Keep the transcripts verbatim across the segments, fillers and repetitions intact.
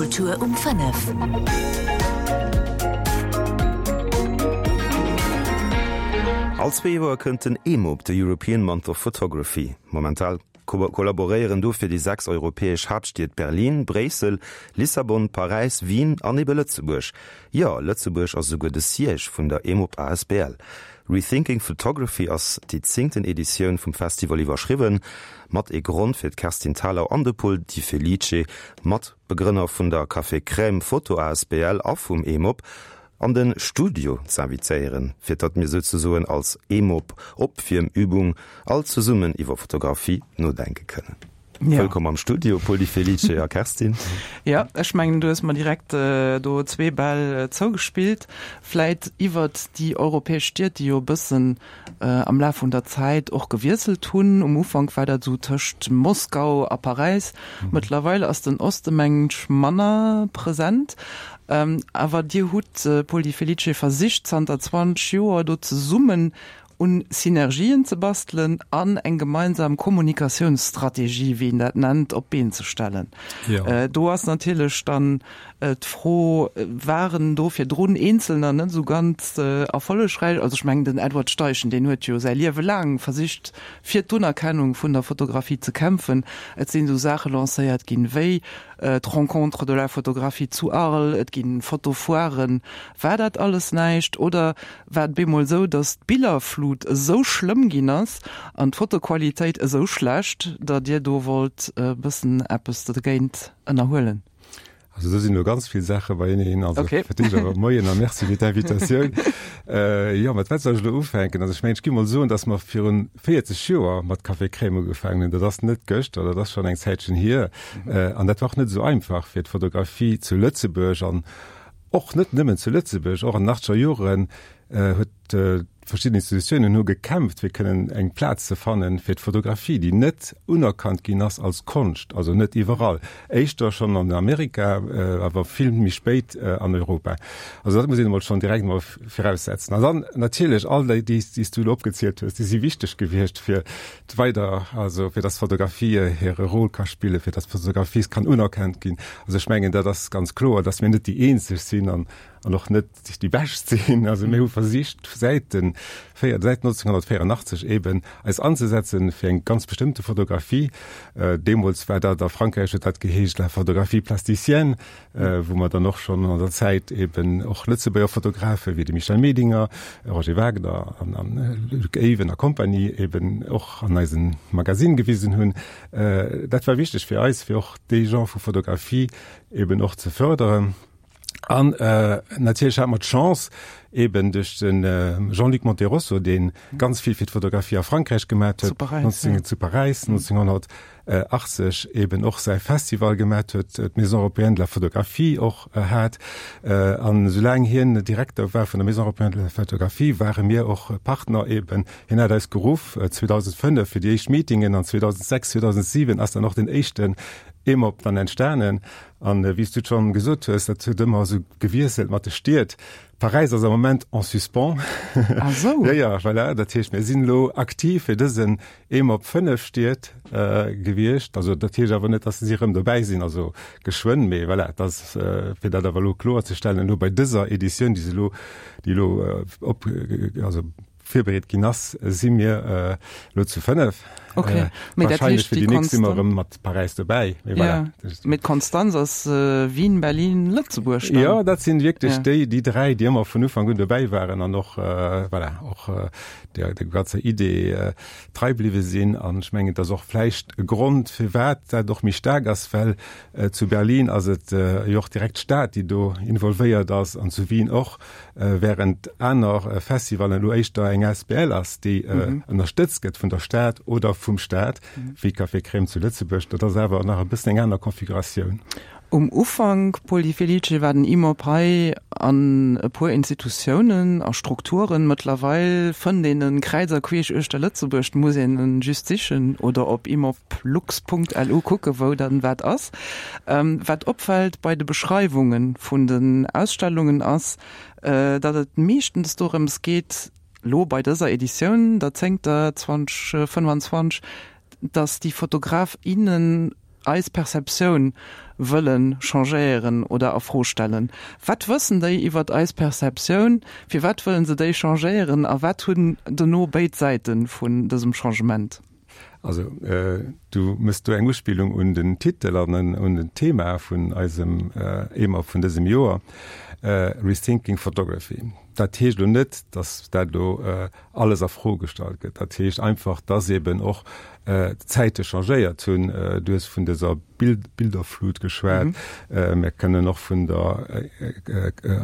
Kultur um fënnef. All zwee Joer kënnt den EMOP, de European Month of Photography. Momentan kollaboréieren dofir déi sechs europäesch Haaptstied Berlin, Bréissel, Lissabon, Paräis, Wien an ebe Lëtzebuerg. Jo, Lëtzebuerg ass esouguer de Siège vun der EMOP asbl. Rethinking Photography ass déi zéngten Editioun vum Festival iwwerschriwwen, mat ee Grond fir d'Kerstin Thalau an de Pol Di Felice, Matbegrënner vun der Café Crème Photo asbl a vum EMOP, an de Studio z'invitéieren, fir datt mir souzesoen als EMOP Opwiermübung all zesummen iwwer Fotografie nodenke kënnen. Ja. Wëllkomm am Studio, Pol Di Felice a Kerstin. Ja, ech mengen, du hues mer direkt do zwee Bäll zougespillt. Vläit iwwert déi europäesch Stied, déi jo e bëssen am Laf vun der Zäit och gewiesselt hunn. Um Ufank war dat esou tëscht Moskau a Paräis. Mëttlerweil ass den Oste, mengen ech, manner present. Awer Dir hutt, Pol Di Felice, versicht zanter zwanzeg Joer do zesummen un Synergien ze bastelen an eng gemeinsam Kommunikatiounsstrategie, wéi een dat nennt, op d'Been ze stellen. Jo. Do ass natierlech dann d'Fro, Waren do virdrun Eenzelner net esou ganz erfollegräich? Also ech mengen, den Edward Steichen, deen huet jo säi Liewe laang versicht, fir d'Unerkennung vun der Fotografie ze kämpfen. Et sinn esou Saache lancéiert ginn, wéi d'Rencontres de la photographie zu Arles, et ginn Fotofoiren. War dat alles näischt oder war et bemol esou, datt d'Billerflut esou schlëmm ginn ass an d'Fotoqualitéit esou schlecht, datt Dir do wollt e bëssen eppes dogéint ënnerhuelen? Also do sinn elo ganz vill Saache beieneen. Also Okay. fir d'éischt awer Moien a Merci fir d'Invitatioun. Jo, mat wat soll ech elo ufänken? Also ech mengen, ech gi mol soen, datt mer virun véierzeg Joer mat Café Crème ugefaangen hunn. Dat ass net gëschter, dat ass schonn eng Zäitchen hier. An dat war och net esou einfach fir d'Fotografie zu Lëtzebuerg an och net nëmmen zu Lëtzebuerg, och an den achtzeger Joren huet verschidden Institutiounen hu gekämpft, fir kënnen eng Plaz ze fannen fir d'Fotografie, déi net unerkannt ginn ass als Konscht, also net iwwerall, éischter schonn an Amerika, awer vill méi spéit an Europa. Also dat muss een emol schonn direkt emol viraussetzen. An dann natierlech all déi, déi s du elo opgezielt hues, déi si wichteg gewiescht fir weider, also fir dass d'Fotografie hire Rôle ka spillen, fir dass d'Fotografie kann unerkannt ginn. Also ech mengen, dat ass ganz kloer, dass mir net déi eenzeg sinn an an och net déi bescht sinn. Also mir hu versicht säit den véier, säit neunzehnhundertvéierundachtzeg eben eis anzesetzen fir eng ganz bestëmmte Fotografie. Deemools war dat a Frankräich huet dat geheescht la photographie plasticienne, wou mer dann och schonn an der Zäit eben och Lëtzebuerger Fotografe wéi de Michel Medinger, Roger Wagner an an Luc Eyven a Compagnie eben och an eisem Magasinn gewisen hunn. Dat war wichteg fir eis, fir och dee Genre vu Fotografie eben och ze förderen. An natierlech hate mer d'Chance, eben duerch de Jean-Luc Monterosso, dee ganz vill fir d'Fotografie a Frankräich gemat huet, zu Paräis neunzehnhundertachtzeg eben och säi Festival gemat huet, d'Maison européenne de la photographie och hat. An esoulaang hien Direkter war vun der Maison européenne de la photographie, ware mir och Partner eben. Hien hat eis geruff zweedausendfënnef fir déi éischt Meetingen an zweedausendsechs, zweedausentsiwen ass dann och den éischten EMOP dann entstanen. An wéi s du et schonn gesot hues, dat huet ëmmer esou gewiesselt mat de Stied. Paräis ass am Moment en suspens. Ah sou. Jo, jo, voilà. Dat heescht, mir sinn elo aktiv fir dësen EMOP fënnef Stied gewiescht. Also dat heescht awer net, dass si erëm dobäi sinn, also geschwënn, mee voilà, dat ass, fir dat awer elo kloerzestellen, elo bei dëser Editioun, déi se elo, déi elo op, also virbereet ginn ass, si mir elo zu fënnef. Okay. Mee dat Wahrscheinlech heescht, fir déi déi nächst si mer Konstan- erëm mat Paräis dobäi. Mee voilà. Ja. Mee d'Konstanz ass Wien, Berlin, Lëtzebuerg dann. Jo, dat sinn wierklech Ja. déi, déi dräi, déi ëmmer vun Ufank un dobäi waren an och, voilà, och der, der ganzer Idee trei bliwwe sinn. An ech mengen, et ass och vläicht e Grond, firwat dat och méi staark ass, well zu Berlin ass et jo och direkt d'Stad, déi do involvéiert ass, an zu Wien och. Während aner Festivalen elo éischter eng asbl ass, déi ënnerstëtzt gëtt vun der Stad oder vum Staat, wéi Café Crème zu Lëtzebuerg. Dat ass awer nach e bëssen eng aner Konfiguratioun. Um Ufank, Paul Di Felice, war den IMOP hei an e puer Institutiounen a Strukturen. Mëttlerweil fënnt een e kräiz a queesch uechter Lëtzebuerg. Et muss een en just sichen oder op imoplux Punkt lu kucken, wou dann wat ass. Wat opfält bei de Beschreiwunge vun den Ausstellungen ass, datt et meeschtens dorëms geet, lo bei dëser Editioun, der zéngter, zweitausendfënnwanzwanzeg, datt déi Fotograf, innen eis Perceptioun wëlle changéieren oder a Fro stellen. Wat wëssen déi iwwert eis Perceptioun, firwat wëllen se déi changéieren a wat hunn dono béid Säite vun dësem Changement? Also du méchs do eng Uspillung un den Titel an un den Thema vun eisem EMOP vun dësem Joer, Rethinking Photography. Dat heescht elo net, dass dat elo alles a Fro gestallt gëtt. Dat heescht einfach, dass eben och d'Zäite changéiert hunn. Du hues vun dëser Bilderflut geschwat. Mir kënnen och vun der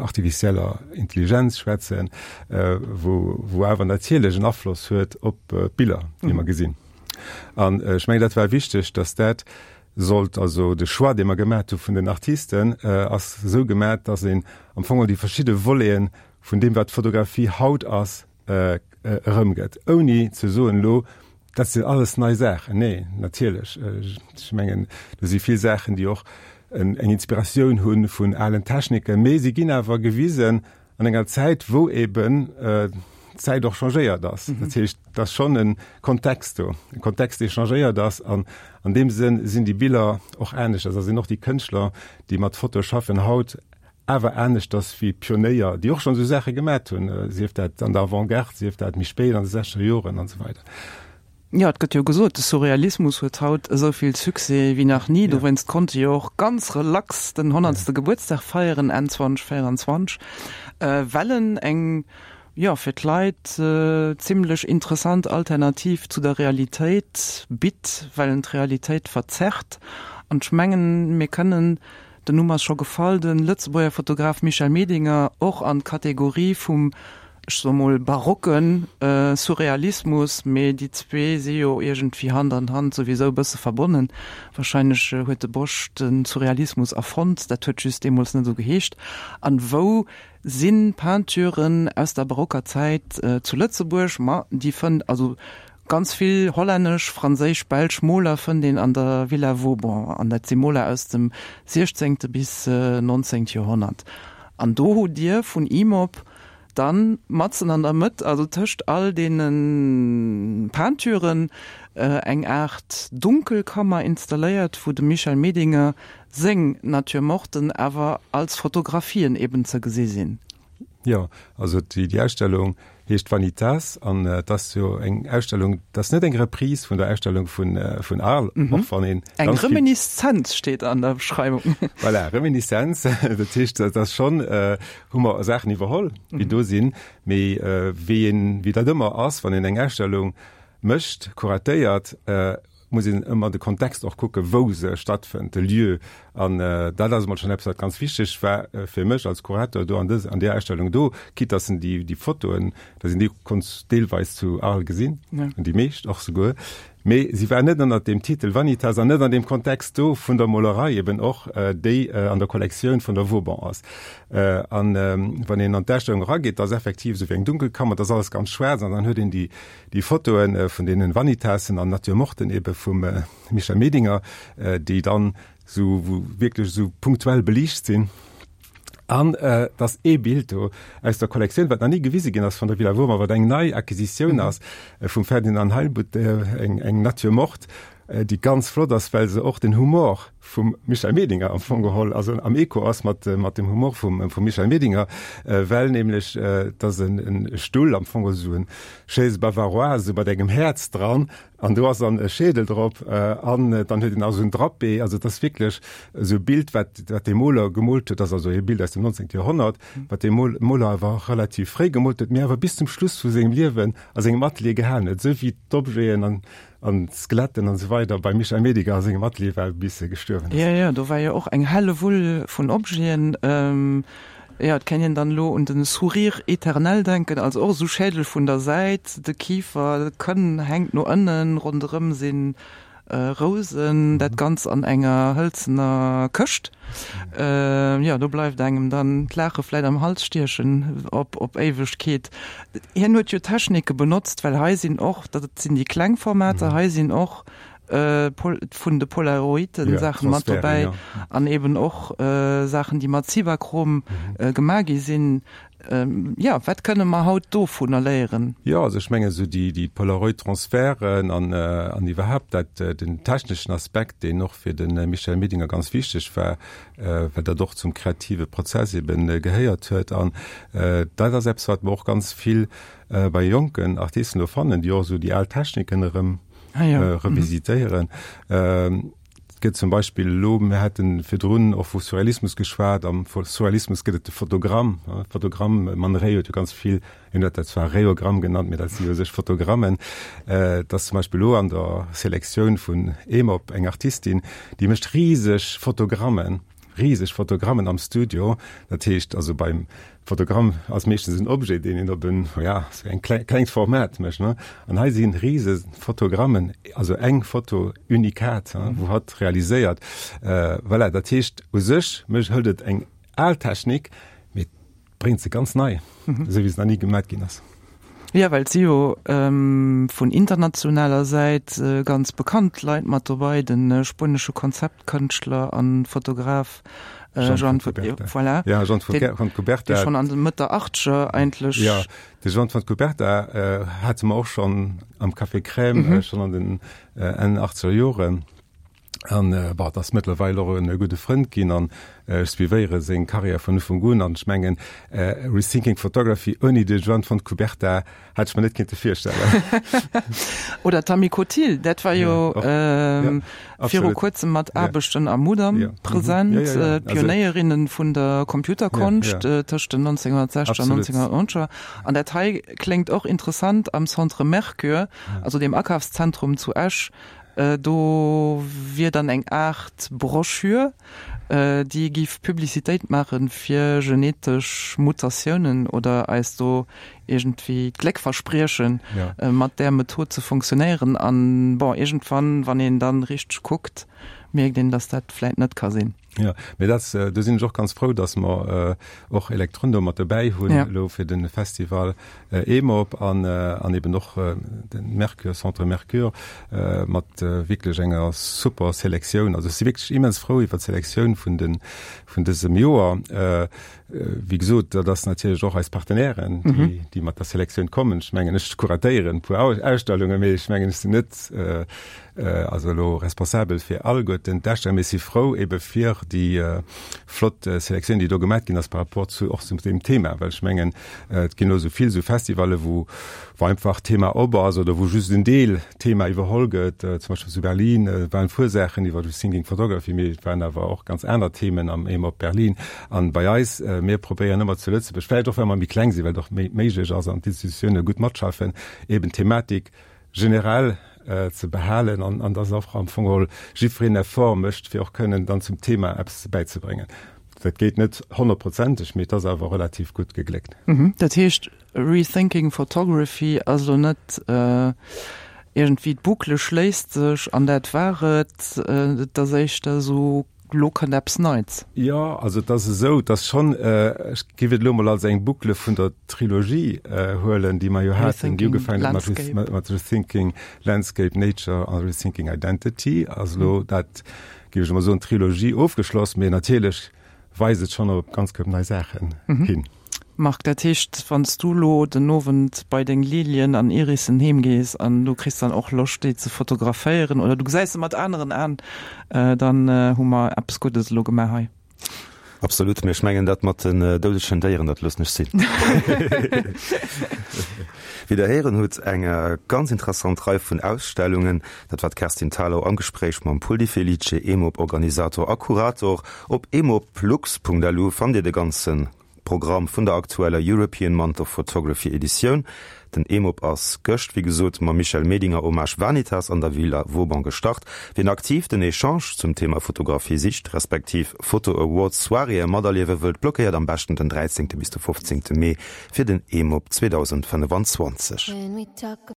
artificieller Intelligenz schwätzen, wou awer natierlech en Afloss huet op d'Biller, déi mer gesinn. An ech mengen, dat war wichteg, dass dat sollt, also de Choix, dee mer gemat hu vun den Artisten, ass esou gemat, dass een am Fong déi verschidde Voleten vun deem, wat d'Fotografie haut ass, erëmgëtt, ouni ze soen elo, dat sinn alles nei Saachen. Nee, natierlech, ech mengen, do si vill Saachen, déi och eng Inspiratioun hu vun alen Techniken, mee si ginn awer gewisen an enger Zäit, wou eben d'Zäit och changéiert ass. Dat heescht, et ass schonn e Kontext do, e Kontext, dee changéiert ass. An an deem Sënn sinn déi Biller och aneschters a sinn och déi Kënschtler, déi mat Foto schaffen haut, awer aneschters wéi Pionéier, déi och schonn esou Saache gemat hunn, sief dat an der Avant-garde, sief dat méi spéit an de sechzeger Joren an esou weider. Jo, et gëtt jo gesot, de Surrealismus huet haut esou vill Succès wéi nach ni. Dowéinst konnt e jo och ganz relax den honnertste Gebuertsdag feieren Enn zweitausendzwanzig, well en eng, jo, fir d'Leit zimlech interessant Alternativ zu der Realitéit bitt, well en d'Realitéit verzerrt. An ech mengen, mir kënnen, den Numm ass scho gefall, de Lëtzebuerger Fotograf Michel Medinger och an d'Kategorie vum, ech soe mol, barocke Surrealismus, mee déi zwee si jo iergendwéi Hand an Hand souwisou e bësse verbonnen. Wahrscheinlech huet de Bosch de Surrealismus erfonnt, dat huet just deemools net esou geheescht. An wou si Peinturen aus der barocker Zäit zu Lëtzebuerg? Ma déi fënnt, also Ganz vill hollännesch, franséisch, belsch Moler fënnt een an der Villa Vauban, an dat si Moler aus dem siechzéngte bis nonzéngt Joerhonnert. An do hutt Dir vun IMOP dann matzen an der Mëtt, also tëscht all deene Peinturen, eng Aart Dunkelkammer installéiert, wou dem Michel Medinger seng Nature-morten awer als Fotografien eben ze gesi sinn. Jo, also déi Ausstellung heescht Vanitas an et ass jo eng Ausstellung, dat ass net eng Reprise vun der Ausstellung vun vun Arles, och wann een Eng ganz vill. Reminiszenz steet an der Beschreiwung. Voilà, Reminiszenz, dat heescht, dat ass schonn, hu mer Saachen iwwerholl, déi do sinn, mee wéi een, wéi dat ëmmer ass, wann een eng Ausstellung mécht, kuratéiert, muss een ëmmer de Kontext och kucken, wou se stattfënnt, de Lieu. An dat ass emol schonn eppes, wat ganz wichteg war fir mech als Kurator do an dës, an där Ausstellung do, quitte dass en déi, déi Fotoen, dass een déi konnt deelweis zu Arles gesinn, déi meescht och souguer, mee si war net ënnert deem Titel Vanitas an net an deem Kontext do vun der Molerei eben och, déi an der Kollektioun vun der Vauban ass. An wann een an d'Ausstellung erageet, da ass effektiv esou wéi eng Dunkelkammer, da ass alles ganz schwaarz an dann huet een déi, Déi Fotoe vun deenen Vanitasen an Nature morten ebe vum Michel Medinger, déi dann esou wou wierklech esou punktuell beliicht sinn. An et ass ee Bild do aus der Kollektioun, wat nach ni gewise ginn ass vun der Villa Wormer, wat eng nei Acquisitioun ass vum Ferdinand Heilbutt, eng eng Nature morte, déi ganz flott ass, well se och den Humor vum Michel Medinger am Fong geholl, also am Echo ass mat mat dem Humor vum vum Michel Medinger, well nämlech et ass en e Stull am Fong, esou en Chaise bavaroise, esou mat engem Häerz dran, an do ass dann e Schädel drop an dann huet en nach esou en Drapé. Also et ass wierklech esou e Bild, wat wat dee Moler gemoolt huet, ass also e Bild aus dem nonzéngte Joerhonnert, wat dee Moler awer relativ fréi gemoolt huet, mee awer bis zum Schluss vu sengem Liewen a sengem Atelier gehalen huet, esou wéi d'Objeten an An d'Skeletten an esou weider beim Michel Mediger a sengem Atelier war, bis e gestuerwen ass. Jo, jo, do war jo och eng Hellewull vun Objeten. Jo, et kéint een dann elo un de Sourire éternel denken, also och esou Schädel vun der Säit, de Kifer, de Kënn hänkt no ënnen, ronderëm si Rousen, dat Ganzt an enger hëlzener Këscht. Jo, do bleift engem dann d'Laache vläit am Hals stiechen op op Éiwegkeet. Hien huet jo Technike benotzt, well hei sinn och, dat sinn déi kleng Formater, hei sinn och vun de Polaroiden Saachen mat dobäi an eben och Saachen, déi mat Cibachrome gemaach gi sinn. Jo, wat kënne mer haut dovunner léieren? Jo, also ech mengen esou déi, déi Polaroid-Transferten an, an iwwerhaapt dat, den techneschen Aspekt, deen och fir de Michel Medinger ganz wichteg war, well dat och zum kreative Prozess eben gehéiert huet. An dat ass eppes, wat mer och ganz vill bei jonken Artisten elo fannen, déi och esou déi al Techniken erëm revisitéieren. Et gëtt zum Beispill elo, mir hate virdrun och vu Surrealismus geschwat, am Surrealismus gëtt et de Fotogramm. Fotogramm, Man Ray huet jo ganz vill, hien huet dat zwar Rayogramm genannt, mee dat si u sech Fotogrammen. Et ass zum Beispill elo an der Selektioun vun EMOP eng Artistin, déi mécht riseg Fotogrammen. Riseg Fotogrammen am Studio, dat heescht also beim Fotogramm ass meeschtens en Objet, deen een op en, ja, sou eng kleng, klengt Format mécht, ne? An hei si rise Fotogrammen, also eng Foto unikat, hein, wou hatt realiséiert. Voilà, dat heescht u sech mécht, hëlt et eng al Technik, mee bréngt se ganz nei, esou wéi se nach ni gemat ginn ass. Jo, well et si jo vun internationaler Säit ganz bekannt Leit mat dobei, de spuenesche Konzeptkënschtler a Fotograf Joan voilà, ja, Joan Fontcuberta, dee schonn an de Mëtt der Achtzeger eigentlech. Jo, de Joan Fontcuberta hate mer och schonn am Café Crème, schonn an den Enn Achtzeger Joren. An bon, et ass mëttlerweil och e gudde Frënd ginn an ech suivéiere seng Karriär vun Ufank un. An ech mengen, Rethinking Photography ouni de Joan Fontcuberta hätt ech mer net kinnte virstellen. Oder d'Tammy Cotille, dat war jo viru kuerzem mat Aarbechten am Mudam present, d'Pionéierinne vun der Computerkonscht tëscht den nonzénghunnertsechzeger an nonzénghunnertneunzeger. An dat hei kléngt och interessant am Centre Mercure, also deem Akafszentrum zu Esch, Do wier dann eng Aart Broschür, déi giff Publicitéit maache fir genetesch Mutatiounen oder eis do iergendwéi d'Gléck verspriechen, mat där Method ze funktionéieren. An bon, iergendwann, wann een dann richteg kuckt, mierkt een, dass dat vläit net ka sinn. Jo, mee dat, do sinn ech och ganz frou, dass mer och Electrondo mat dobäi hunn elo fir de Festival EMOP an an eben och de Mercure, Centre Mercure mat wierklech enger super Selektioun. Also ech si wierklech immens frou iwwer d'Selektioun vun de vun dësem Joer. Wéi gesot, dat ass natierlech och eis Partenairen, déi déi mat der Selektioun kommen. Ech mengen, ech kuratéieren e puer Ausstellungen, mee ech mengen, ech sinn net also elo responsabel fir alleguerten d'Ausstellungen, mee ech si frou ebe fir déi flott Selektioun, déi do gemat ginn ass par rapport zu och zu deem Thema, well ech mengen, et ginn elo esou vill esou Festivalle wou wou einfach d'Thema op ass oder wou just en Deel Thema iwwerholl gëtt. Zum Beispill zu Berlin waren e puer Saachen iwwer Rethinking Photography, mee et waren awer och ganz aner Themen am EMOP Berlin. An bei eis, mir probéieren ëmmer zu Lëtzebuerg, vläicht och well mer méi kleng sinn, well et och méi méiglech ass an d'Institutioune gutt matschaffen, eben d'Thematik generell ze behalen an an dass och am Fong geholl jiddwereen Effort mécht, fir och kënnen dann zum Thema eppes bäizebréngen. Dat geet net honnertprozenteg, mee et ass awer relativ gutt gegléckt. Dat heescht, Rethinking Photography ass elo net iergendwéi d'Boucle schléisst sech an dat war et, et ass éischter esou, Lo kënnt eppes Neits. Jo, also et ass esou, dass schonn, ech géif et elo mol als eng Boucle vun der Trilogie huelen, déi mer jo haten, déi ugefaangen huet mat Rethinking Landscape, Nature a Rethinking Identity, ass elo dat, géif ech emol soen, d'Trilogie ofgeschloss. Mee natierlech weist et schonn op ganz koup nei Saachen hin. Marc, dat heescht, wann s du lo den Owend bei deng Lilien an Irissen heem gees an du kriss dann och Loscht déi ze fotograféieren oder du gesäis se mat aneren Aen, dann hu mer eppes Guddes elo gemaach hei. Absolut, mee ech mengen dat mat den doudegen Déieren, dat loossen ech sinn. Wéi der héieren hutt, eng ganz interessant Rei vun Ausstellungen. Dat war d'Kerstin Thalau am Gespréich mam Pol Di Felice, EMOP-Organisator a Kurator. Op emoplux.lu fannt Dir de ganze Programm vun der aktueller European Month of Photography Editioun. Den EMOP ass gëscht, wéi gesot, mam Michel Medinger Hommage Vanitas an der Villa Vauban gestart. Wien aktiv den Echange zum Thema Fotografie sicht, respektiv Photo Awards Soiréeë materliewe wëllt, blockéiert am beschten den dräizéngte bis de fofzéngte Mee fir den EMOP zweedausendfënnefenzwanzeg.